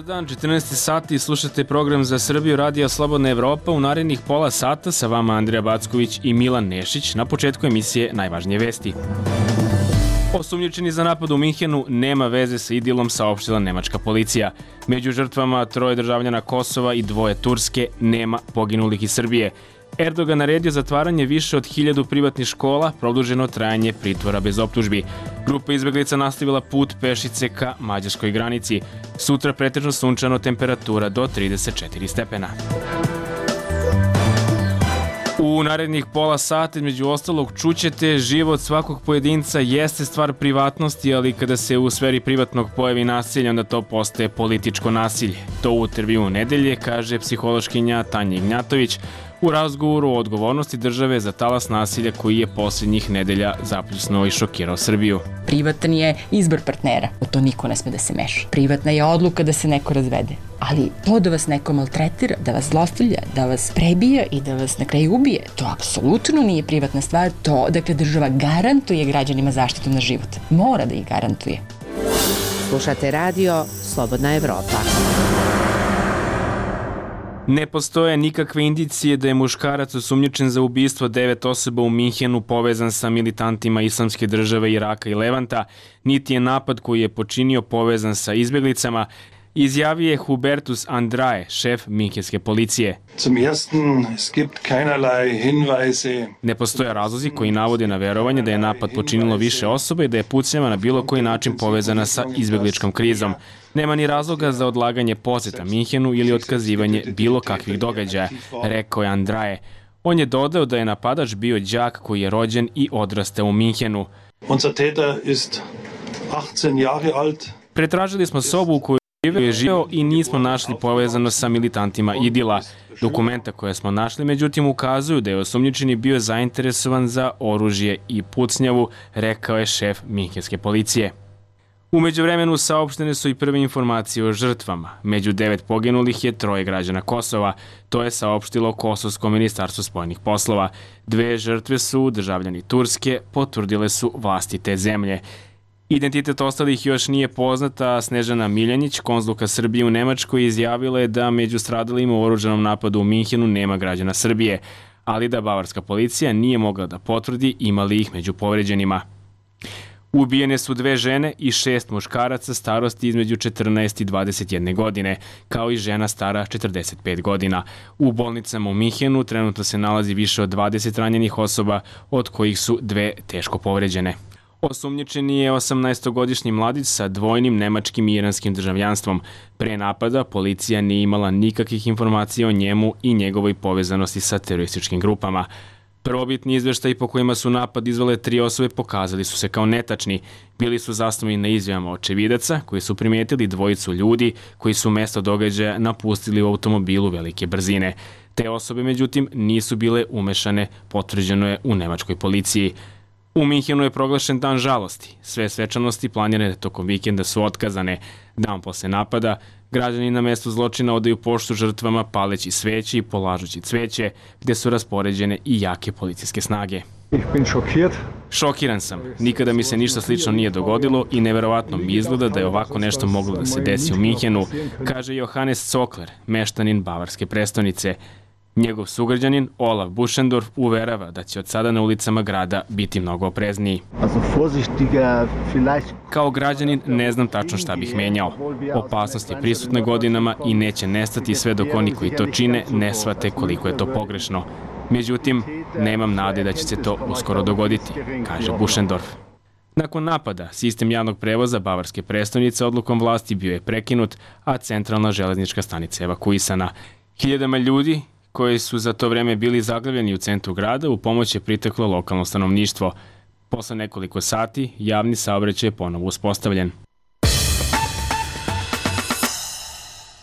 dan, 14 sati, slušate program za Srbiju, Radio Slobodna Evropa. U narednih pola sata sa vama Andrija Backović i Milan Nešić. Na početku emisije najvažnije vesti. Osumnjičeni za napad u Minhenu nema veze sa idilom, saopštila nemačka policija. Među žrtvama 3 državljana Kosova i 2 Turske, nema poginulih iz Srbije. Erdogan naredio zatvaranje više od 1000 privatnih škola, produženo trajanje pritvora bez optužbi. Grupa izbeglica nastavila put pešice ka mađarskoj granici. Sutra pretežno sunčano, temperatura do 34 stepena. U narednih pola sata, među ostalog, čućete život svakog pojedinca jeste stvar privatnosti, ali kada se u sferi privatnog pojavi nasilje, onda to postaje političko nasilje. To u intervjuu nedelje kaže psihološkinja Tanja Ignjatović u razgovoru o odgovornosti države za talas nasilja koji je posljednjih nedelja zapljusnuo i šokirao Srbiju. Privatan je izbor partnera, u to niko ne sme da se meša. Privatna je odluka da se neko razvede. Ali to da vas neko maltretira, da vas zlostavlja, da vas prebija i da vas na kraju ubije, to apsolutno nije privatna stvar. To, dakle, država garantuje građanima zaštitu na život. Mora da ih garantuje. Slušate radio Slobodna Evropa. Ne postoje nikakve indicije da je muškarac osumnjičen za ubistvo 9 osoba u Minhenu povezan sa militantima Islamske države Iraka i Levanta, niti je napad koji je počinio povezan sa izbjeglicama, izjavio je Hubertus Andrae, šef minhenske policije. Ne postoje razlozi koji navode na verovanje da je napad počinilo više osoba i da je pucnjava na bilo koji način povezana sa izbjegličkom krizom. Nema ni razloga za odlaganje poseta Minhenu ili otkazivanje bilo kakvih događaja, rekao je Andrae. On je dodao da je napadač bio đak koji je rođen i odrastao u Minhenu. Pretražili smo sobu u kojoj je živeo i nismo našli povezano sa militantima Idila. Dokumenta koje smo našli, međutim, ukazuju da je osumnjičeni bio zainteresovan za oružje i pucnjavu, rekao je šef minhenske policije. U međuvremenu saopštene su i prve informacije o žrtvama. Među 9 poginulih je 3 građana Kosova. To je saopštilo Kosovsko ministarstvo spoljnih poslova. 2 žrtve su državljani Turske, potvrdile su vlasti te zemlje. Identitet ostalih još nije poznata. Snežana Miljanić, konzulka Srbije u Nemačkoj, izjavila je da među stradalima u oružanom napadu u Minhenu nema građana Srbije, ali da bavarska policija nije mogla da potvrdi ima li ih među povređenima. Ubijene su 2 žene i 6 muškaraca starosti između 14 i 21 godine, kao i žena stara 45 godina. U bolnicama u Minhenu trenutno se nalazi više od 20 ranjenih osoba, od kojih su 2 teško povređene. Osumnjičeni je 18-godišnji mladić sa dvojnim nemačkim i iranskim državljanstvom. Pre napada policija nije imala nikakvih informacija o njemu i njegovoj povezanosti sa terorističkim grupama. Prvobitni izveštaji po kojima su napad izvele 3 osobe pokazali su se kao netačni. Bili su zasnovani na izjavama očevidaca koji su primijetili 2 ljudi koji su mesto događaja napustili u automobilu velike brzine. Te osobe, međutim, nisu bile umešane, potvrđeno je u nemačkoj policiji. U Minhenu je proglašen dan žalosti. Sve svečanosti planirane tokom vikenda su otkazane. Dan posle napada, građani na mestu zločina odaju poštu žrtvama paleći sveće i polažući cveće, gde su raspoređene i jake policijske snage. Šokiran sam. Nikada mi se ništa slično nije dogodilo i neverovatno mi izgleda da je ovako nešto moglo da se desi u Minhenu, kaže Johannes Zokler, meštanin bavarske prestonice. Njegov sugrađanin Olaf Buschendorf uverava da će od sada na ulicama grada biti mnogo oprezniji. Kao građanin ne znam tačno šta bih menjao. Opasnost je prisutna godinama i neće nestati sve dok oni koji to čine ne shvate koliko je to pogrešno. Međutim, nemam nade da će se to uskoro dogoditi, kaže Buschendorf. Nakon napada, sistem javnog prevoza bavarske prestonice odlukom vlasti bio je prekinut, a centralna železnička stanica evakuisana. Hiljadama ljudi koji su za to vreme bili zaglavljeni u centru grada, u pomoć je priteklo lokalno stanovništvo. Posle nekoliko sati, javni saobraćaj je ponovo uspostavljen.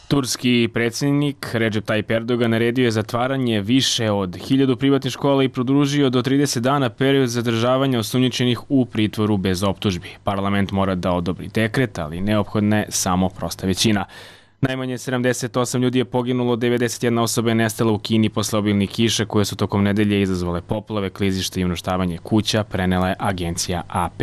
Turski predsjednik Recep Tayyip Erdogan naredio je zatvaranje više od 1000 privatnih škola i produžio do 30 dana period zadržavanja osumnjičenih u pritvoru bez optužbi. Parlament mora da odobri dekret, ali neophodna je samo prosta većina. Najmanje 78 ljudi je poginulo, 91 osoba je nestala u Kini posle obilnih kiša koje su tokom nedelje izazvale poplave, klizište i uništavanje kuća, prenela je agencija AP.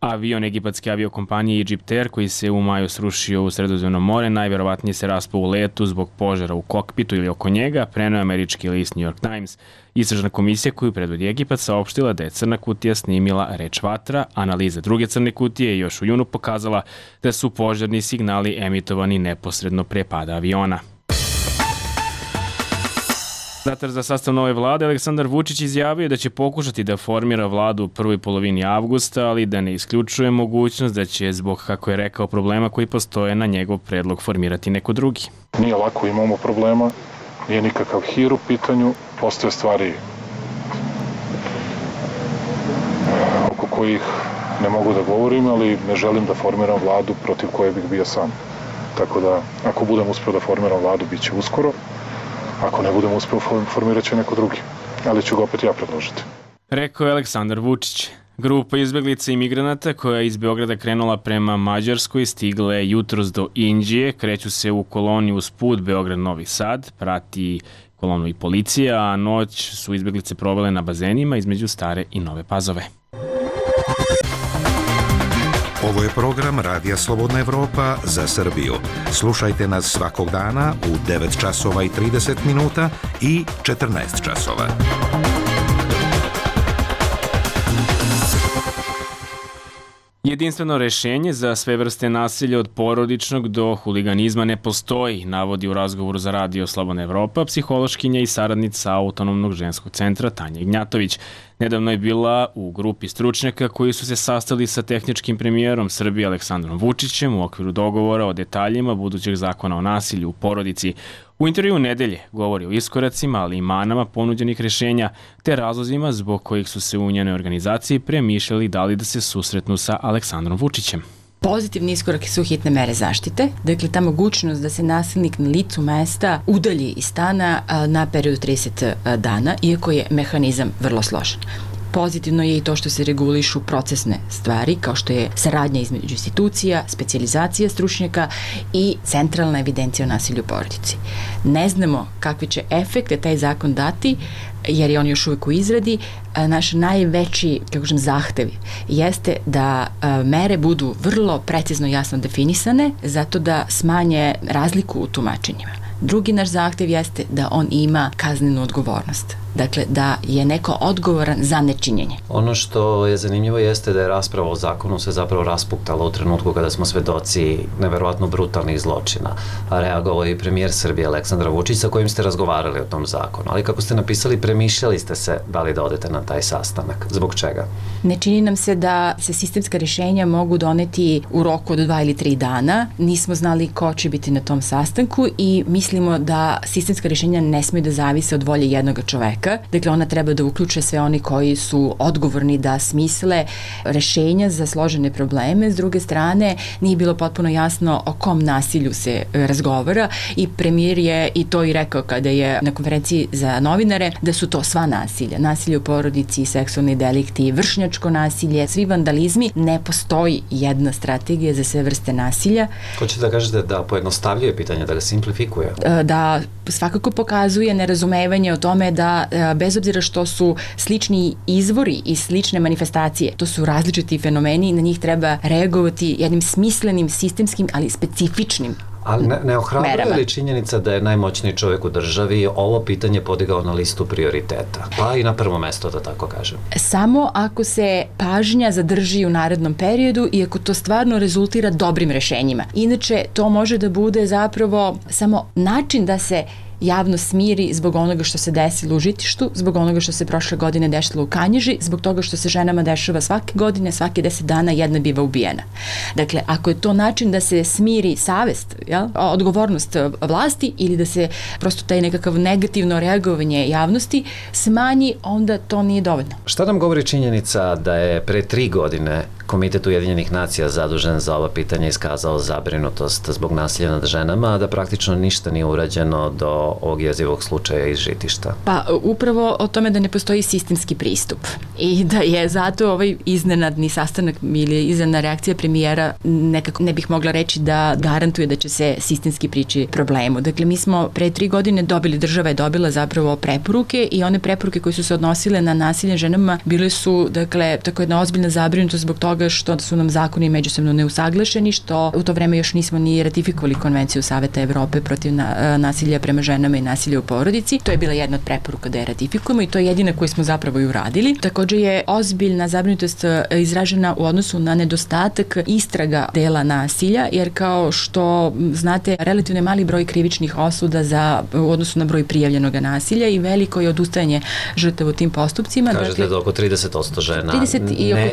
Avion egipatske aviokompanije Egypt Air koji se u maju srušio u Sredozemno more najverovatnije se raspao u letu zbog požara u kokpitu ili oko njega, preneo američki list New York Times. Istražna komisija koju predvodi Egipat saopštila da je crna kutija snimila reč vatra, analiza druge crne kutije je još u junu pokazala da su požarni signali emitovani neposredno pre pada aviona. Mandatar za sastav nove vlade Aleksandar Vučić izjavio da će pokušati da formira vladu u prvoj polovini avgusta, ali da ne isključuje mogućnost da će zbog, kako je rekao, problema koji postoje na njegov predlog formirati neko drugi. Nije lako, imamo problema, nije nikakav hir u pitanju, postoje stvari oko kojih ne mogu da govorim, ali ne želim da formiram vladu protiv koje bih bio sam. Tako da, ako budem uspeo da formiram vladu, bit će uskoro. Ako ne budem uspeo, formirat će neko drugi, ali ću ga opet ja predložiti. Rekao je Aleksandar Vučić. Grupa izbeglica i migranata koja je iz Beograda krenula prema Mađarskoj stigla je jutros do Inđije, kreću se u koloni uz put Beograd-Novi Sad, prati kolonu i policija, a noć su izbeglice provele na bazenima između Stare i Nove Pazove. Ovo je program Radija Slobodna Evropa za Srbiju. Slušajte nas svakog dana u 9 časova i 30 minuta i 14 časova. Jedinstveno rešenje za sve vrste nasilja od porodičnog do huliganizma ne postoji, navodi u razgovoru za Radio Slobodna Evropa psihološkinja i saradnica Autonomnog ženskog centra Tanja Ignjatović. Nedavno je bila u grupi stručnjaka koji su se sastali sa tehničkim premijerom Srbije Aleksandrom Vučićem u okviru dogovora o detaljima budućeg zakona o nasilju u porodici. U intervju Nedelje govori o iskoracima, ali i manama ponuđenih rešenja, te razlozima zbog kojih su se u njenoj organizaciji premišljali da li da se susretnu sa Aleksandrom Vučićem. Pozitivni iskorak su hitne mere zaštite, dakle ta mogućnost da se nasilnik na licu mesta udalji iz stana na period 30 dana, iako je mehanizam vrlo složen. Pozitivno je i to što se regulišu procesne stvari, kao što je saradnja između institucija, specijalizacija stručnjaka i centralna evidencija o nasilju u porodici. Ne znamo kakve će efekte taj zakon dati, jer je on još uvijek u izradi. Naš najveći, zahtev jeste da mere budu vrlo precizno i jasno definisane, zato da smanje razliku u tumačenjima. Drugi naš zahtev jeste da on ima kaznenu odgovornost. Dakle, da je neko odgovoran za nečinjenje. Ono što je zanimljivo jeste da je rasprava o zakonu se zapravo raspuktala u trenutku kada smo svedoci neverovatno brutalnih zločina. Reagovao je i premijer Srbije Aleksandar Vučić sa kojim ste razgovarali o tom zakonu. Ali kako ste napisali, premišljali ste se da li da odete na taj sastanak. Zbog čega? Ne čini nam se da se sistemska rješenja mogu doneti u roku od 2 ili 3 dana. Nismo znali ko će biti na tom sastanku i mislimo da sistemska rješenja ne smiju da zavise od volje jednog čoveka. Dakle, ona treba da uključe sve oni koji su odgovorni da smisle rešenja za složene probleme. S druge strane, nije bilo potpuno jasno o kom nasilju se razgovara i premijer je i to i rekao kada je na konferenciji za novinare da su to sva nasilja. Nasilje u porodici, seksualni delikti, vršnjačko nasilje, svi vandalizmi. Ne postoji jedna strategija za sve vrste nasilja. Hoćete da kažete da pojednostavljuje pitanje, da ga simplifikuje? Da svakako pokazuje nerazumevanje o tome da bez obzira što su slični izvori i slične manifestacije, to su različiti fenomeni i na njih treba reagovati jednim smislenim, sistemskim, ali specifičnim Ali ne ohrabruje li činjenica da je najmoćniji čovjek u državi ovo pitanje podigao na listu prioriteta? Pa i na prvo mesto, da tako kažem. Samo ako se pažnja zadrži u narednom periodu i ako to stvarno rezultira dobrim rešenjima. Inače, to može da bude zapravo samo način da se javno smiri zbog onoga što se desilo u Žitištu, zbog onoga što se prošle godine dešilo u Kanjiži, zbog toga što se ženama dešava svake godine, svake 10 dana jedna biva ubijena. Dakle, ako je to način da se smiri savest, odgovornost vlasti ili da se prosto taj nekakav negativno reagovanje javnosti smanji, onda to nije dovoljno. Šta nam govori činjenica da je pre 3 godine Komitet Ujedinjenih nacija zadužen za ova pitanja iskazao zabrinutost zbog nasilja nad ženama, a da praktično ništa nije urađeno do ovog jezivog slučaja iz Žitišta? Pa upravo o tome da ne postoji sistemski pristup i da je zato ovaj iznenadni sastanak ili iznenadna reakcija premijera nekako ne bih mogla reći da garantuje da će se sistemski prići problemu. Dakle, mi smo pre 3 godine država je dobila zapravo preporuke i one preporuke koje su se odnosile na nasilje ženama bile su, dakle, tako jedna ozbiljna zabrinutost zbog toga toga što su nam zakoni međusobno neusaglašeni, što u to vreme još nismo ni ratifikovali Konvenciju Saveta Evrope protiv nasilja prema ženama i nasilja u porodici. To je bila jedna od preporuka da je ratifikujemo i to je jedina koju smo zapravo i uradili. Takođe je ozbiljna zabrinutost izražena u odnosu na nedostatak istraga dela nasilja, jer kao što znate, relativno je mali broj krivičnih osuda u odnosu na broj prijavljenog nasilja i veliko je odustajanje žrtava u tim postupcima. Kažete da oko 30% žena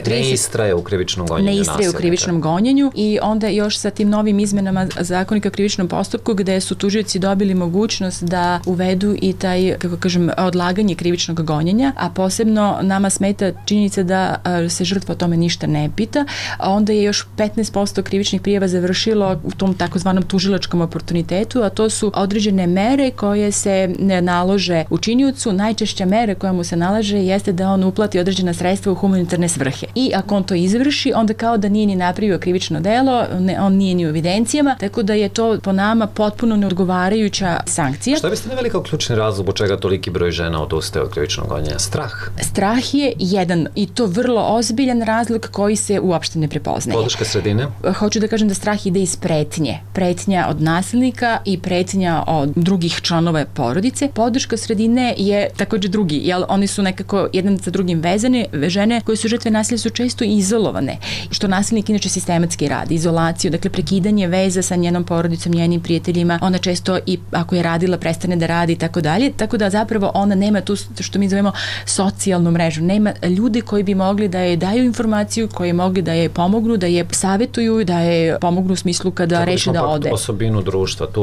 ne istraje u krivičnom gonjenju nasilja. Ne istraje u krivičnom gonjenju i onda još sa tim novim izmenama Zakonika o krivičnom postupku gde su tužioci dobili mogućnost da uvedu i taj, kako kažem, odlaganje krivičnog gonjenja, a posebno nama smeta činjenica da se žrtva o tome ništa ne pita, a onda je još 15% krivičnih prijava završilo u tom takozvanom tužilačkom oportunitetu, a to su određene mere koje se ne nalože učiniocu. Najčešća mera koja mu se nalaže jeste da on uplati određena sredstva u humanitarne svrhe. I ako on to izvrši, onda kao da nije ni napravio krivično delo, on nije ni u evidencijama, tako da je to po nama potpuno neodgovarajuća sankcija. Šta biste naveli kao ključni razlog u čega toliki broj žena odustaje od krivičnog gonjenja? Strah? Strah je jedan i to vrlo ozbiljan razlog koji se uopšte ne prepoznaje. Podrška sredine? Hoću da kažem da strah ide iz pretnje. Pretnja od nasilnika i pretnja od drugih članova porodice. Podrška sredine je takođe drugi, jer oni su nekako jedan sa drugim vezane. Žene koje su žrtve nasilja su često izolovane, što nasilnik inače sistematski radi. Izolaciju, dakle prekidanje veza sa njenom porodicom, njenim prijateljima. Ona često i ako je radila prestane da radi i tako dalje. Tako da zapravo ona nema tu što mi zovemo socijalnu mrežu. Nema ljudi koji bi mogli da je daju informaciju, koji mogli da je pomognu, da je savetuju, da je pomognu u smislu kada reši da ode. Tu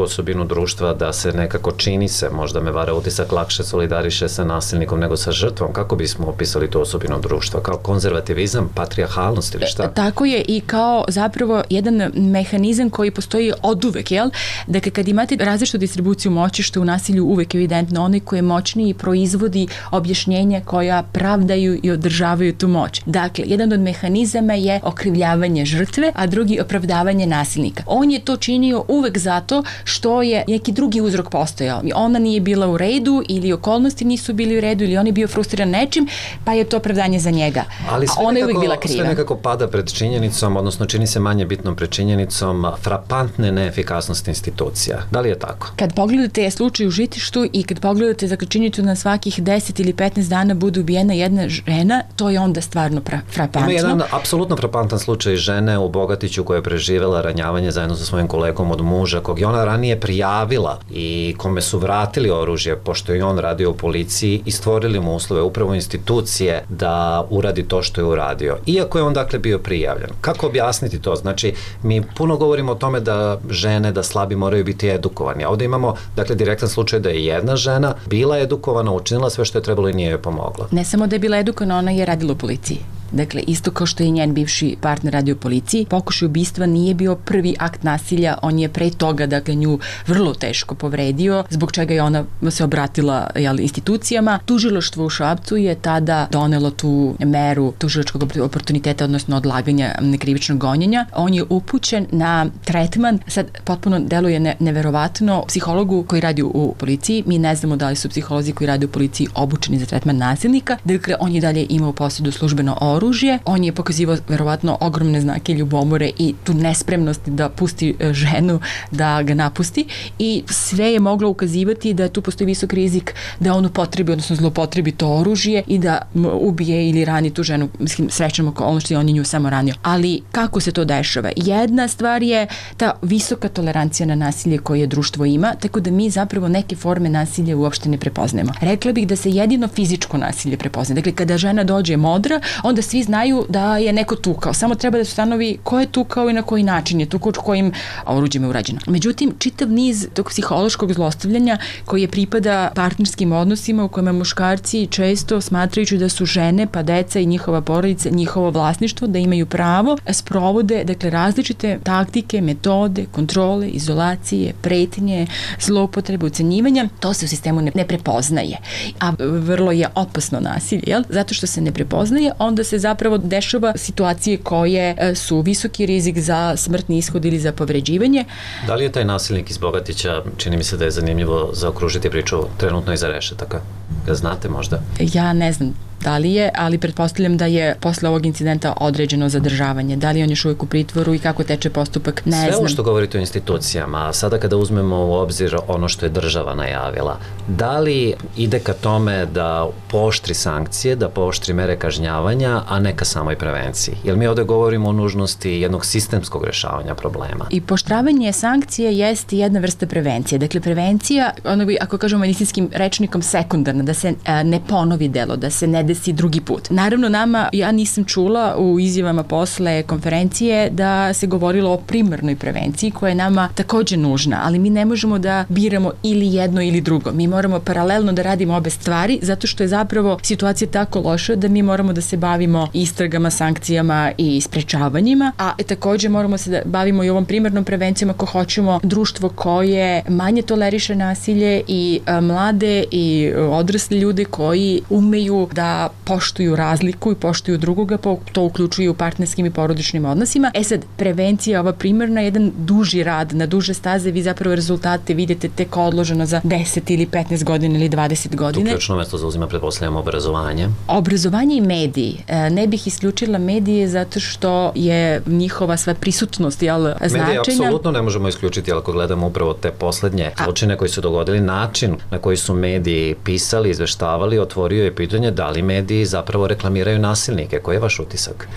osobinu društva da se nekako čini se, možda me vara utisak, lakše solidariše sa nasilnikom nego sa žrtvom. Kako bismo opisali tu osobinu društva? Kao konzervativizam, patrijarhalnost ili šta? Tako je i kao zapravo jedan mehanizam koji postoji oduvek, jel? Dakle, kad imate različitu distribuciju moći, što je u nasilju uvek evidentno, onaj koji je moćniji proizvodi objašnjenja koja pravdaju i održavaju tu moć. Dakle, jedan od mehanizama je okrivljavanje žrtve, a drugi opravdavanje nasilnika. On je to činio uvek zato što je neki drugi uzrok postojao. Ona nije bila u redu ili okolnosti nisu bili u redu ili on je bio frustriran nečim, pa je to opravdanje za njega. Ali ona je uvek bila kriva. Sve nekako pada pred činjenicom, odnosno čini se manje bitnom pred činjenicom frapantne neefikasnosti institucija. Da li je tako? Kad pogledate slučaj u Žitištu i kad pogledate činjenicu na svakih 10 ili 15 dana bude ubijena jedna žena, to je onda stvarno frapantno. Ima jedan apsolutno frapantan slučaj žene u Bogatiću koja je preživela ranjavanje zajedno sa svojim kolegom od muža, kog je ona ranije prijavila i kome su vratili oružje, pošto je on radio u policiji i stvorili mu uslove, upravo institucije, da uradi to što je uradio. Iako je on dakle bio prijavljen. Kako objasniti to? Znači, mi puno govorimo o tome da žene, da slabi moraju biti edukovani. A ovde imamo, dakle, direktan slučaj da je jedna žena bila edukovana, učinila sve što je trebalo i nije joj pomogla. Ne samo da je bila edukovana, ona je radila u policiji. Dakle, isto kao što je njen bivši partner radio u policiji, pokušaj ubistva nije bio prvi akt nasilja, on je pre toga, dakle, nju vrlo teško povredio, zbog čega je ona se obratila institucijama. Tužilaštvo u Šapcu je tada donelo tu meru tužilačkog oportuniteta, odnosno odlaganja krivičnog gonjenja. On je upućen na tretman, sad potpuno deluje neverovatno, psihologu koji radi u policiji. Mi ne znamo da li su psiholozi koji radi u policiji obučeni za tretman nasilnika. Dakle, on je dalje imao u posjedu službeno oružje. On je pokazivao verovatno ogromne znake ljubomore i tu nespremnost da pusti ženu da ga napusti i sve je moglo ukazivati da tu postoji visok rizik da on upotrebi, odnosno zlopotrebi to oružje i da ubije ili rani tu ženu. Mislim, srećnom okolnosti on je nju samo ranio. Ali kako se to dešava? Jedna stvar je ta visoka tolerancija na nasilje koje društvo ima, tako da mi zapravo neke forme nasilja uopšte ne prepoznajemo. Rekla bih da se jedino fizičko nasilje prepoznaje. Dakle, kada žena dođe modra, onda svi znaju da je neko tukao. Samo treba da se stanovi ko je tukao i na koji način je tukao, kojim oruđem je urađeno. Međutim, čitav niz tog psihološkog zlostavljanja koji je pripada partnerskim odnosima u kojima muškarci često smatrajući da su žene, pa deca i njihova porodica, njihovo vlasništvo, da imaju pravo, sprovode, dakle, različite taktike, metode, kontrole, izolacije, pretnje, zloupotrebe, ucenjivanja. To se u sistemu ne prepoznaje. A vrlo je opasno nasilje, jel? Zato što se ne prepoznaje, onda se zapravo dešava situacije koje su visoki rizik za smrtni ishod ili za povređivanje. Da li je taj nasilnik iz Bogatića, čini mi se da je zanimljivo zaokružiti priču trenutno iza rešetaka? Ga znate možda? Ja ne znam učestalije, ali pretpostavljam da je posle ovog incidenta određeno zadržavanje. Da li on još uvijek u pritvoru i kako teče postupak, ne znam. Sve ovo što govorite o institucijama, sada kada uzmemo u obzir ono što je država najavila, da li ide ka tome da pooštri sankcije, da pooštri mere kažnjavanja, a ne ka samoj prevenciji? Jer mi ovde govorimo o nužnosti jednog sistemskog rešavanja problema. I pooštravanje sankcije jeste jedna vrsta prevencije. Dakle, prevencija, ono bi, ako kažemo medicinskim rečnikom, sekundarna, da se ne ponovi delo, da se ne desi drugi put. Naravno, ja nisam čula u izjavama posle konferencije da se govorilo o primarnoj prevenciji koja je nama takođe nužna, ali mi ne možemo da biramo ili jedno ili drugo. Mi moramo paralelno da radimo obe stvari, zato što je zapravo situacija tako loša da mi moramo da se bavimo istragama, sankcijama i sprečavanjima, a takođe moramo se da bavimo i ovom primarnom prevencijom ako hoćemo društvo koje manje toleriše nasilje i mlade i odrasli ljude koji umeju da poštuju razliku i poštuju drugoga, to uključuju u partnerskim i porodičnim odnosima. Sad, prevencija, ova primarna, jedan duži rad na duže staze, vi zapravo rezultate vidite tek odloženo za 10 ili 15 godina ili 20 godina. Tu ključno mesto zauzima, pretpostavljamo, obrazovanje. Obrazovanje i mediji. Ne bih isključila medije zato što je njihova sva prisutnost, značenja. Medije apsolutno ne možemo isključiti, ako gledamo upravo te poslednje zločine koji su dogodili, način na koji su mediji pisali, izveštavali, otvorio je pitanje da li mediji zapravo reklamiraju nasilnike. Koji je vaš utisak?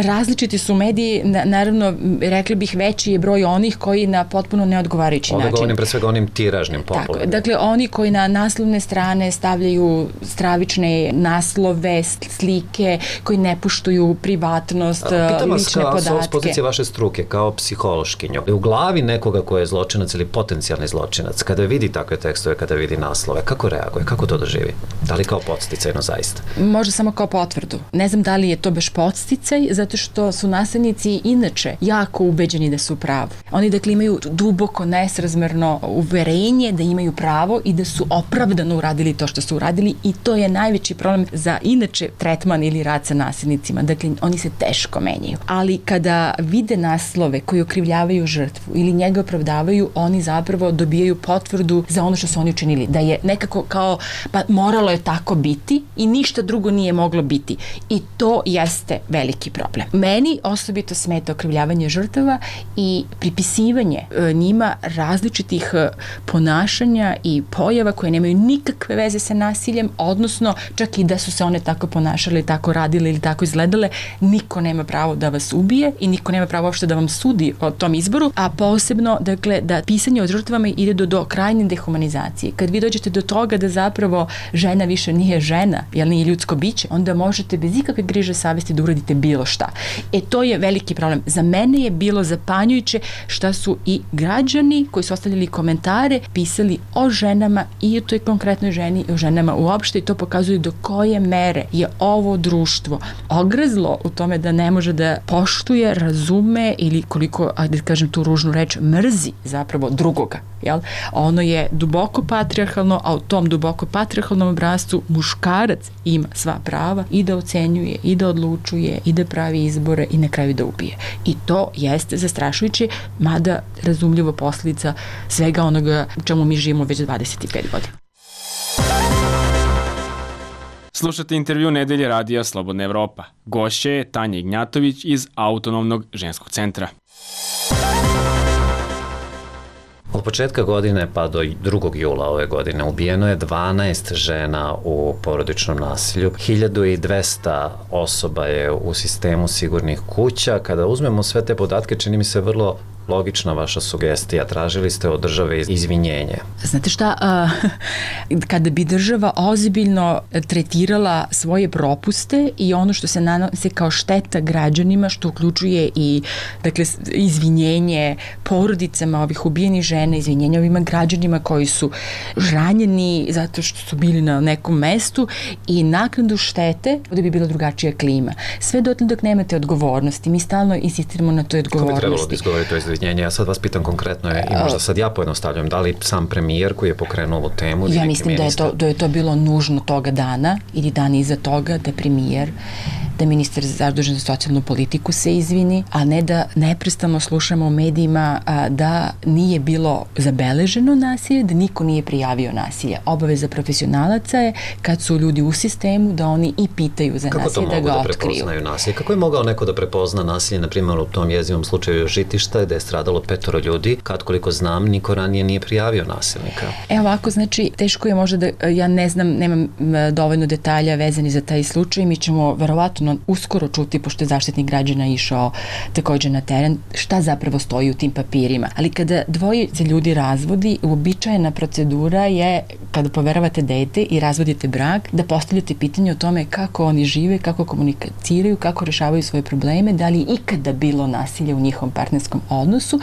Različiti su mediji, naravno, rekli bih veći je broj onih koji na potpuno neodgovarajući način. Ovdje govorim pre svega onim tiražnim popularnim. Tako, dakle, oni koji na naslovne strane stavljaju stravične naslove, slike, koji ne poštuju privatnost, lične podatke. Pitam vas s pozicije vaše struke, kao psihološkinju. U glavi nekoga ko je zločinac ili potencijalni zločinac, kada vidi takve tekstove, kada vidi naslove, kako reaguje, kako to doživi? Da li kao podsticajno zaista? Možda samo kao potvrdu. Ne znam da li je to baš podsticaj, zato što su nasilnici inače jako ubeđeni da su u pravu. Oni dakle imaju duboko nesrazmerno uverenje da imaju pravo i da su opravdano uradili to što su uradili i to je najveći problem za inače tretman ili rad sa nasilnicima. Dakle, oni se teško menjaju. Ali kada vide naslove koji okrivljavaju žrtvu ili njega opravdavaju, oni zapravo dobijaju potvrdu za ono što su oni učinili. Da je nekako kao, pa moralo je tako biti i ništa drugo nije moglo biti. I to jeste veliki problem. Meni osobito smeta okrivljavanje žrtava i pripisivanje njima različitih ponašanja i pojava koje nemaju nikakve veze sa nasiljem, odnosno čak i da su se one tako ponašale, tako radile ili tako izgledale, niko nema pravo da vas ubije i niko nema pravo uopšte da vam sudi o tom izboru, a posebno, dakle, da pisanje o žrtvama ide do krajnje dehumanizacije. Kad vi dođete do toga da zapravo žena više nije žena, jer nije ljudsko biće, onda možete bez ikakve griže savesti da uradite bilo šta. To je veliki problem. Za mene je bilo zapanjujuće šta su i građani koji su ostavljali komentare pisali o ženama i o toj konkretnoj ženi i o ženama uopšte i to pokazuje do koje mere je ovo društvo ogrezlo u tome da ne može da poštuje, razume ili koliko, da kažem tu ružnu reč, mrzi zapravo drugoga. Jel? Ono je duboko patrijarhalno, a u tom duboko patrijarhalnom obrascu muškarac ima sva prava i da ocenjuje, i da odlučuje, i da pravi izbore i na kraju da ubije. I to jeste zastrašujuće, mada razumljivo posljedica svega onoga u čemu mi živimo već 25 godina. Slušate intervju Nedelje radija Slobodna Evropa. Gošća je Tanja Ignjatović iz Autonomnog ženskog centra. Od početka godine pa do 2. jula ove godine ubijeno je 12 žena u porodičnom nasilju. 1200 osoba je u sistemu sigurnih kuća. Kada uzmemo sve te podatke, čini mi se vrlo logična vaša sugestija. Tražili ste od države izvinjenje. Znate šta, kada bi država ozbiljno tretirala svoje propuste i ono što se nanose kao šteta građanima, što uključuje i dakle, izvinjenje porodicama ovih ubijenih žena, izvinjenje ovima građanima koji su ranjeni zato što su bili na nekom mestu i naknadu štete, da bi bila drugačija klima. Sve dotle dok nemate odgovornosti, mi stalno insistiramo na toj odgovornosti. Ko bi trebalo da izgovori to izvinjenje? Ja sad vas pitam konkretno i možda sad ja pojednostavljam, da li sam premijer koji je pokrenuo ovu temu? Ja mislim da je to bilo nužno toga dana ili dan iza toga da premijer da ministar zadužen za socijalnu politiku se izvini, a ne da neprestano slušamo u medijima da nije bilo zabeleženo nasilje, da niko nije prijavio nasilje. Obaveza profesionalaca je kad su ljudi u sistemu da oni i pitaju za nasilje, da ga otkriju. Kako to mogu da prepoznaju nasilje? Kako je mogao neko da prepozna nasilje, na primjer u tom jezivom slučaju Žitišta, gde je stradalo 5 ljudi, kad koliko znam, niko ranije nije prijavio nasilnika? Ovako, znači, teško je možda da, ja ne znam, nemam dovoljno detalja vezani za taj slučaj, mi ćemo verovatno uskoro čuti, pošto je Zaštitnik građana išao takođe na teren, šta zapravo stoji u tim papirima. Ali kada dvojice ljudi razvodi, uobičajena procedura je, kada poveravate dete i razvodite brak, da postavljate pitanje o tome kako oni žive, kako komuniciraju, kako rešavaju svoje probleme, da li je ikada bilo nasilje u njihovom partnerskom odnosu,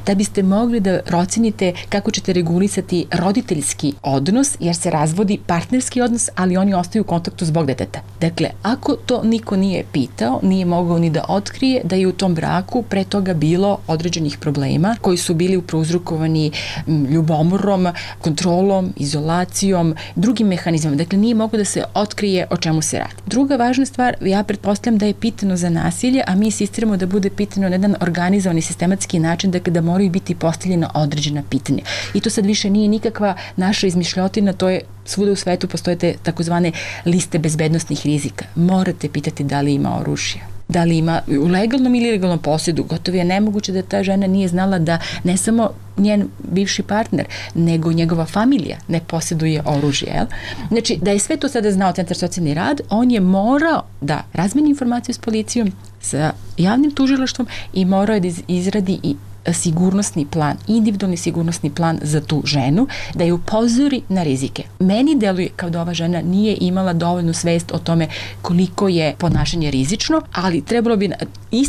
da biste mogli da procenite kako ćete regulisati roditeljski odnos, jer se razvodi partnerski odnos, ali oni ostaju u kontaktu zbog deteta. Dakle, ako to niko nije pitao, nije mogao ni da otkrije da je u tom braku pre toga bilo određenih problema koji su bili prouzrokovani ljubomorom, kontrolom, izolacijom, drugim mehanizmom. Dakle, nije mogao da se otkrije o čemu se radi. Druga važna stvar, ja pretpostavljam da je pitano za nasilje, a mi insistiramo da bude pitano na jedan organizovani sistematski način, dakle da moraju biti postavljena određena pitanja. I to sad više nije nikakva naša izmišljotina, to je svuda u svetu postoje te takozvane liste bezbednostnih rizika. Morate pitati da li ima oružja, da li ima u legalnom ili ilegalnom posjedu. Gotovo je nemoguće da ta žena nije znala da ne samo njen bivši partner, nego njegova familija ne posjeduje oružje. Jel? Znači, da je sve to sada znao Centar socijalni rad, on je morao da razmeni informaciju s policijom, sa javnim tužilaštvom i morao je da izradi i sigurnosni plan, individualni sigurnosni plan za tu ženu, da je upozori na rizike. Meni deluje kao da ova žena nije imala dovoljnu svest o tome koliko je ponašanje rizično, ali trebalo bi...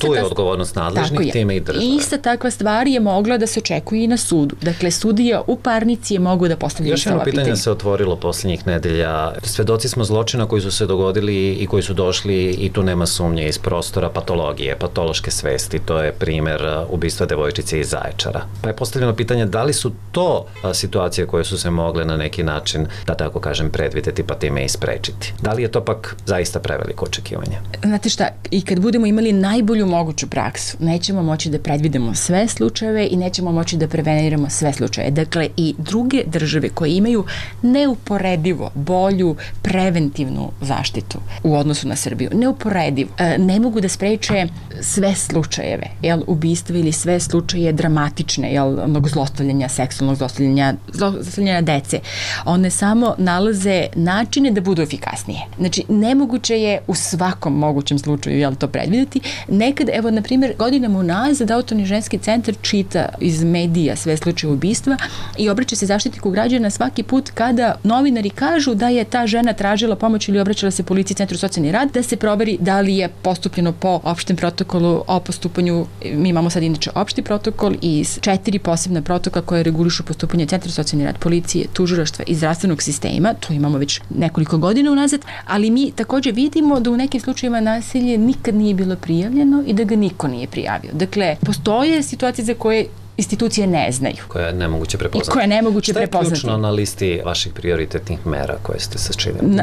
Tu je odgovornost nadležnih, time i države. Ista takva stvar je mogla da se očekuje i na sudu. Dakle, sudija u parnici je mogu da postavlja još jedno pitanje se otvorilo posljednjih nedelja. Svedoci smo zločina koji su se dogodili i koji su došli, i tu nema sumnje, iz prostora patologije, patološke svesti. To je primer ubistva devojčice iz Zaječara. Pa je postavljeno pitanje da li su to situacije koje su se mogle na neki način, da tako kažem, predvideti pa time i sprečiti. Da li je to pak zaista preveliko očekivanje? Znate šta, i kad budemo imali najbolju moguću praksu, nećemo moći da predvidimo sve slučajeve i nećemo moći da preveniramo sve slučaje. Dakle, i druge države koje imaju neuporedivo bolju preventivnu zaštitu u odnosu na Srbiju, neuporedivo, ne mogu da spreče sve slučajeve, ubistva ili sve slučaje dramatične, onog zlostavljanja, seksualnog zlostavljanja dece. One samo nalaze načine da budu efikasnije. Znači, nemoguće je u svakom mogućem slučaju to predvideti. Nekad, evo, na primjer, godinama unazad Autonomni ženski centar čita iz medija sve slučaje ubistva i obraća se Zaštitniku građana svaki put kada novinari kažu da je ta žena tražila pomoć ili obraćala se policiji, Centru socijalni rad, da se proveri da li je postupljeno po opštem protokolu o postupanju. Mi imamo sad inače opšti protokol i 4 posebna protokola koje regulišu postupanje Centra socijalni rad, policije, tužilaštva i zdravstvenog sistema. To imamo već nekoliko godina unazad, ali mi takođe vidimo da u nekim slučajevima nasilje nikad nije bilo prijavljeno i da ga niko nije prijavio. Dakle, postoje situacije za koje institucije ne znaju. Koje je nemoguće prepoznati. I koje je nemoguće prepoznati. Šta je ključno na listi vaših prioritetnih mera koje ste sačinili?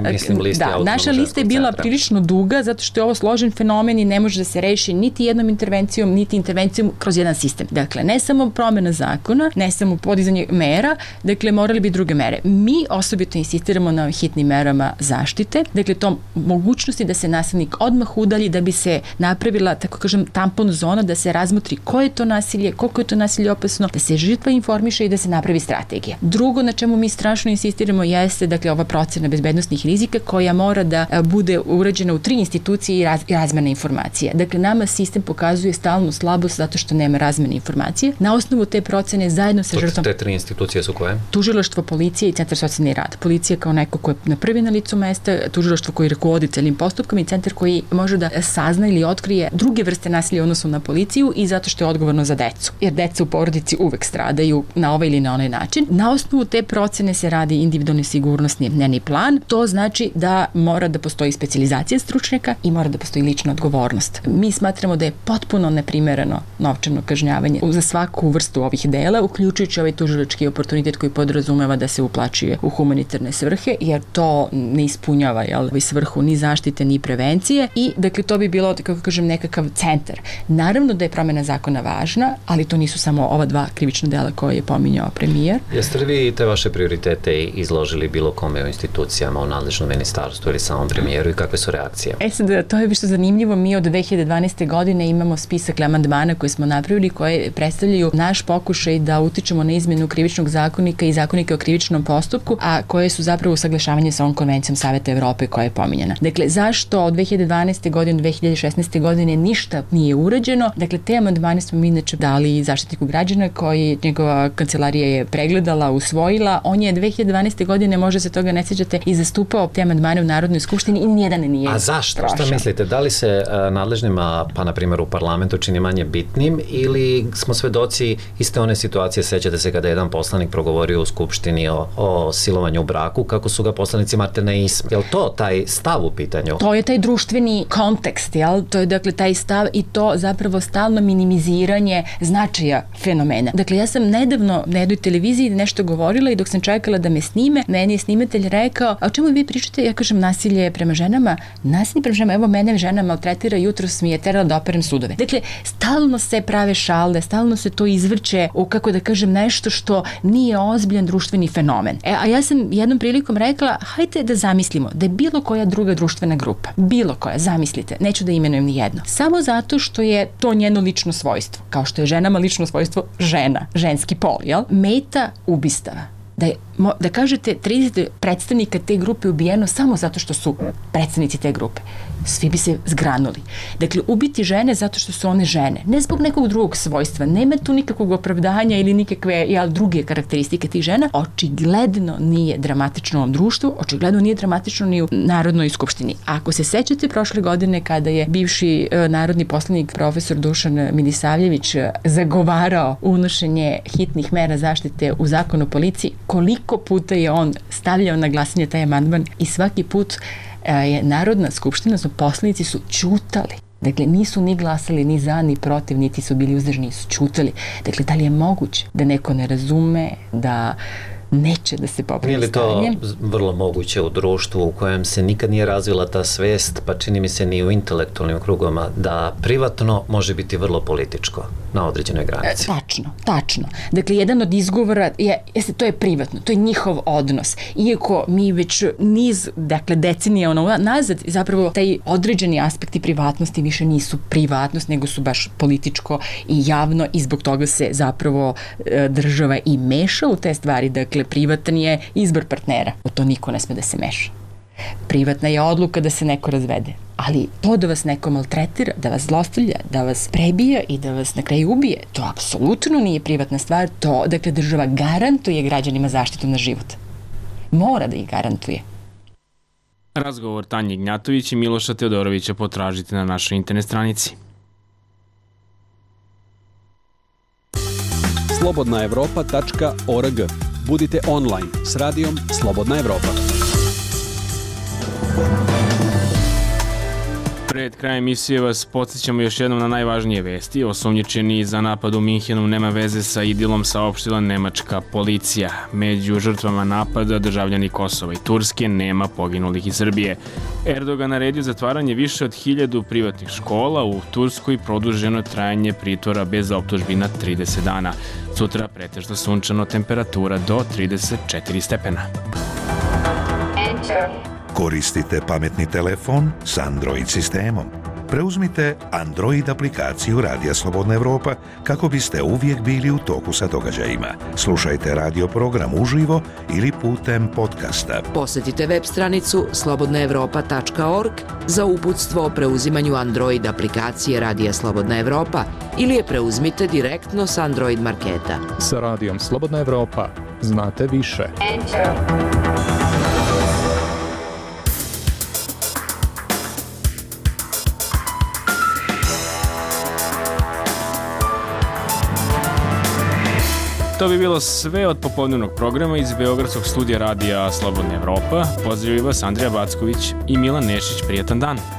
Naša lista je bila prilično duga zato što je ovo složen fenomen i ne može da se reši niti jednom intervencijom, niti intervencijom kroz jedan sistem. Dakle, ne samo promena zakona, ne samo podizanje mera, dakle, morali bi druge mere. Mi osobito insistiramo na hitnim merama zaštite, dakle, tom mogućnosti da se nasilnik odmah udalji, da bi se napravila, tako kažem, tampon zona, da se razmotri koje je to nasilje, koliko je to nasilje opasno, da se žrtva informiše i da se napravi strategija. Drugo na čemu mi strašno insistiramo jeste, dakle, ova procena bezbednosnih rizika koja mora da bude urađena u 3 institucije i razmena informacija. Dakle, nama sistem pokazuje stalnu slabost zato što nema razmene informacije. Na osnovu te procene zajedno sa žrtvom... Te 3 institucije su koje? Tužilaštvo, policija i Centar socijalni rad. Policija kao neko ko je na prvi na licu mesta, tužilaštvo koji rukovodi celim postupkom i centar koji može da sazna ili otkrije druge vrste nasilja u odnosu na policiju i zato što je odgovorno za decu. Jer deca u porodici uvek stradaju na ovaj ili na onaj način. Na osnovu te procene se radi individualni sigurnosni dnevni plan. To znači da mora da postoji specijalizacija stručnjaka i mora da postoji lična odgovornost. Mi smatramo da je potpuno neprimereno novčano kažnjavanje za svaku vrstu ovih dela, uključujući ovaj tužilački oportunitet koji podrazumeva da se uplaćuje u humanitarne svrhe, jer to ne ispunjava svrhu ni zaštite ni prevencije i dakle to bi bilo, kako kažem, nekakav centar. Naravno da je promena zakona važna, ali to nisu samo ova dva krivična dela koje je pominjao premijer. Jeste li vi te vaše prioritete izložili bilo kome u institucijama, u nadležnom ministarstvu ili samom premijeru i kakve su reakcije? Sad, to je više zanimljivo. Mi od 2012. godine imamo spisak amandmana koje smo napravili, koje predstavljaju naš pokušaj da utičemo na izmenu krivičnog zakonika i zakonika o krivičnom postupku, a koje su zapravo usaglašavanje sa ovom konvencijom Saveta Evrope koja je pominjena. Dakle, zašto od 2012. godine do 2016. godine ništa nije urađeno? Dakle, te amandmane smo mi inače dali Zaštitniku građana koji njegova kancelarija je pregledala, usvojila. On je 2012. godine, možda se toga ne sjećate, i zastupao te amandmane u Narodnoj skupštini i nijedan nije. A zašto? prošao. Šta mislite? Da li se nadležnima, pa na primjer u parlamentu, čini manje bitnim ili smo svedoci iste one situacije, sećate se kada je jedan poslanik progovorio u skupštini o silovanju u braku, kako su ga poslanici Martine isme. Je li to taj stav u pitanju? To je taj društveni kontekst, jel? To je dakle taj stav i to zapravo stalno minimiziranje značaja fenomena. Dakle, ja sam nedavno na jednoj televiziji nešto govorila i dok sam čekala da me snime, meni je snimatelj rekao: a o čemu vi pričate? Ja kažem, nasilje prema ženama. Nasilje prema ženama, evo mene žena maltretira, jutros mi je terala da operem sudove. Dakle, stalno se prave šalde, stalno se to izvrće u, kako da kažem, nešto što nije ozbiljan društveni fenomen. A ja sam jednom prilikom rekla, hajde da zamislimo da je bilo koja druga društvena grupa, bilo koja, zamislite, neću da imenujem ni jedno, samo zato što je to njeno lično svojstvo, kao što je ženama lično svojstvo žena, ženski pol, jel? Meta ubistava. Da kažete 30 predstavnika te grupe ubijeno samo zato što su predstavnici te grupe. Svi bi se zgranuli. Dakle, ubiti žene zato što su one žene. Ne zbog nekog drugog svojstva. Nema tu nikakvog opravdanja ili nikakve druge karakteristike tih žena. Očigledno nije dramatično u ovom društvu, očigledno nije dramatično ni u Narodnoj skupštini. Ako se sećate prošle godine kada je bivši narodni poslanik profesor Dušan Milisavljević zagovarao unošenje hitnih mera zaštite u Zakon o policiji, koliko puta je on stavljao na glasanje taj amandman i svaki put je Narodna skupština, odnosno poslanici su ćutali. Dakle, nisu ni glasali ni za, ni protiv, niti su bili uzdržani, su ćutali. Dakle, da li je moguće da neko ne razume, da neće da se popravi stanje? Nije li to vrlo moguće u društvu u kojem se nikad nije razvila ta svest, pa čini mi se ni u intelektualnim krugama, da privatno može biti vrlo političko na određenoj granici? Tačno. Dakle, jedan od izgovora to je privatno, to je njihov odnos. Iako mi već niz, decenija nazad, zapravo taj određeni aspekti privatnosti više nisu privatnost, nego su baš političko i javno i zbog toga se zapravo država i meša u te stvari. Dakle, privatan je izbor partnera. U to niko ne sme da se meša. Privatna je odluka da se neko razvede. Ali to da vas neko maltretira, da vas zlostavlja, da vas prebija i da vas na kraju ubije, to apsolutno nije privatna stvar. To, dakle, država garantuje građanima zaštitu na život. Mora da ih garantuje. Razgovor Tanje Ignjatović i Miloša Teodorovića potražite na našoj internet stranici. slobodnaevropa.org. Budite online s radijom Slobodna Evropa. Pred krajem emisije vas podsjećamo još jednom na najvažnije vesti. Osumnjičeni za napad u Minhenu nema veze sa Idilom, saopštila nemačka policija. Među žrtvama napada državljani Kosova i Turske, nema poginulih iz Srbije. Erdogan naredio zatvaranje više od 1000 privatnih škola u Turskoj, produženo trajanje pritvora bez optužbi na 30 dana. Sutra pretežno sunčano, temperatura do 34 stepena. Koristite pametni telefon s Android sistemom. Preuzmite Android aplikaciju Radija Slobodna Evropa kako biste uvijek bili u toku sa događajima. Slušajte radio program uživo ili putem podcasta. Posjetite web stranicu slobodnaevropa.org za uputstvo o preuzimanju Android aplikacije Radija Slobodna Evropa ili je preuzmite direktno s Android marketa. Sa Radijom Slobodna Evropa znate više. To bi bilo sve od popodnevnog programa iz Beogradskog studija radija Slobodna Evropa. Pozdravljaju vas Andrija Backović i Milan Nešić. Prijatan dan!